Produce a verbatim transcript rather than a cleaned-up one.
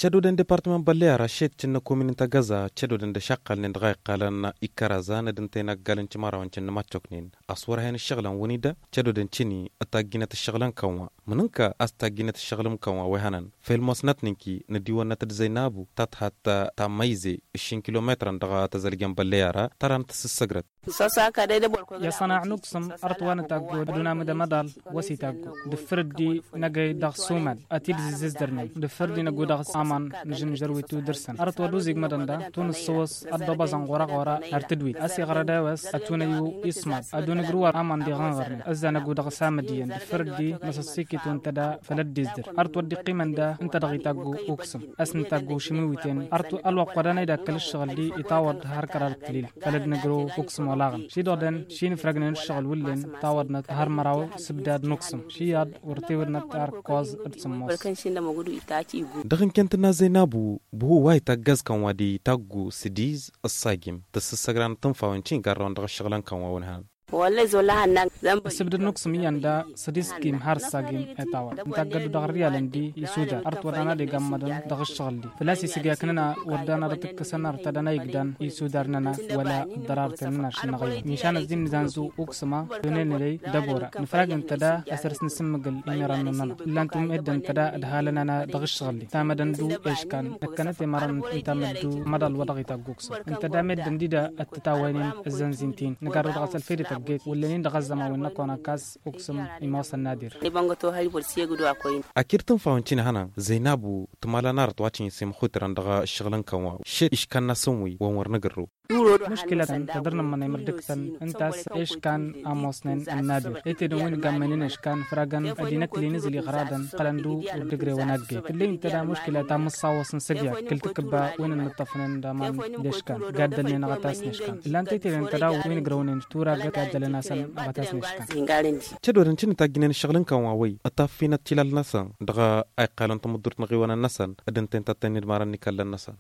Cădodăn departăman bălleyara šed cǝnnă komin n-tagăza cădodăn d-ašăqqalnen dăɣ-a iqqalăn ikkărazăn d-ǝnta inăggalăn cimărawăn cǝnnă maččoknen. A-s wăr hen ǝššăɣǝlăn wăn-i da cădodăn cini d-tajjinăt ǝššăɣǝlăn kănwa mǝnǝnka a-s tajjinăt ǝššăɣǝlăn kănwa wa ihănăn fel mosnăt n-inki n-adiwănnăt d-zăynabu ta tǝhat ta măyze ǝššin kilometrăn dăɣ-tăzălgăn bălleyara tăra n-tǝssǝssăgrăt. Iṣănaɣ n-uksǝm ărtwa n-taggo d-unamǝd amăḍal wa s-itaggo d-ǝffǝr dd-inăgăy dăɣ-sumal ad-t-dd-zǝzzǝzdărnen d-ǝffǝr dd-inăggu dăɣ-s aman n-žǝnžăr wi tudǝrsăn ărtwa d-uzigmădăn da tunǝssăwăs ad-dd-obaẓăn ɣur-aɣora ar tǝdwit a-s iɣrăd a-wes ad-tunăyyu ismad ad-unǝgrǝw aman d-iɣănɣărnen ăzzanăggu dăɣ-s amǝd iyyăn d-ǝffǝr dd-inăsăssiki tuntăda făll-ăddizdăr ărtwa dd-iqqimăn da ǝnta dăɣ-itaggu uksǝm a-s n-taggu šimiwiten ărtwa ălwăqq wa danăy d-akkăl ǝššăɣǝl-di itawăḍ har kărar d-tǝlila făll-ădnǝgrǝw uksǝm olaɣăn šidăɣ dăn šinǝfrăgnen ǝššăɣǝl wǝllen tawăḍnăt har măraw s-ǝbdad n-uksǝm šiyaḍ wăr tewădnăt har kăwăẓ d-sǝmmos. Dăɣ-inkăntǝnna zăynabu buhu wa ităggăz kănwa d-itaggu s-diz ăṣṣajim tăssǝssăgranăt tǝnfawăn cingarrăwăn dăɣ-ǝššăɣǝlăn kănwa wăn-hăn. Ăssǝbdăd n-uksǝm iyyăn da s-dd-iskim har ǝssagim i-tawăr ǝnta ăggăddu dăɣ-ărriyalăn-di isudar ărtwăḍăn ad-igammăḍăn dăɣ-ǝššăɣǝl-di făl-a-s isǝgyaknăn wăr dan ad-ăt-ǝkkǝsăn ărtădăn a igdan isudar-nănăɣ wăla ăddărar-ten-nănăɣ šănnăɣ-iyyăn mišan ăzzin nǝzanzu uksǝm-a tonen ăley d-ăbora nǝfrag ǝnta da asăr s-nǝsǝmmǝgǝl imirăn-nănăɣ ǝllan-t umedden ǝnta da ădhalăn-anăɣ dăɣ-ǝššăɣǝl-di tamădăn d-eškan năkkănăt i-mărăn ǝnta măddu măḍal wa dăɣ-itagg uksǝm ǝnta da meddǝn-di da ăttătawăynen ăzzănzin-t-in nǝgarrăw dăɣ-s ălfăydăt ăggayt wăllăn-in dăɣ-ăzzăman wi n-năkk wa n-ăkkas uksǝm imosăn n-adir. Akir tǝnfawăn cinăhănăn zăynabu tǝmala n-arăt wa cǝnjǝs imxutrăn dăɣ-ǝššăɣǝl n-kănwa šed iškan-năsăn wi wăn wăr nǝgǝrrǝw. Muškǝlătăn tădăr-nămmănăy mărdǝktăn ǝnta a-s eškan a ămoosnen ănnadir ăytedăn wi n-gammăynen eškan făragăn ăddinăt lin-izǝl iɣradăn iqqălăn d-uddǝgrewăn agged tǝlley ǝnta da muškǝla ta mǝssawăs n-sǝgyad kǝl-takǝbba wi n-ănnǝṭṭăfnen d-aman d-eškan gaddălnen aɣătas n-eškan ǝllan-t ăytedăn ǝnta da wi n-ǝgrăwnen turagăt gaddălăn-asăn aɣătas n-eškan. Cădodăn cǝnnǝtajjǝnen ǝššăɣǝl n-kănwa-wăy ătaffinăt tilal-năsăn dăɣ-a iqqalăn tamǝddurt n-aɣiwănăn-năsăn d-ǝnta-en tattăynen d-imarăn n-ikallăn-năsăn.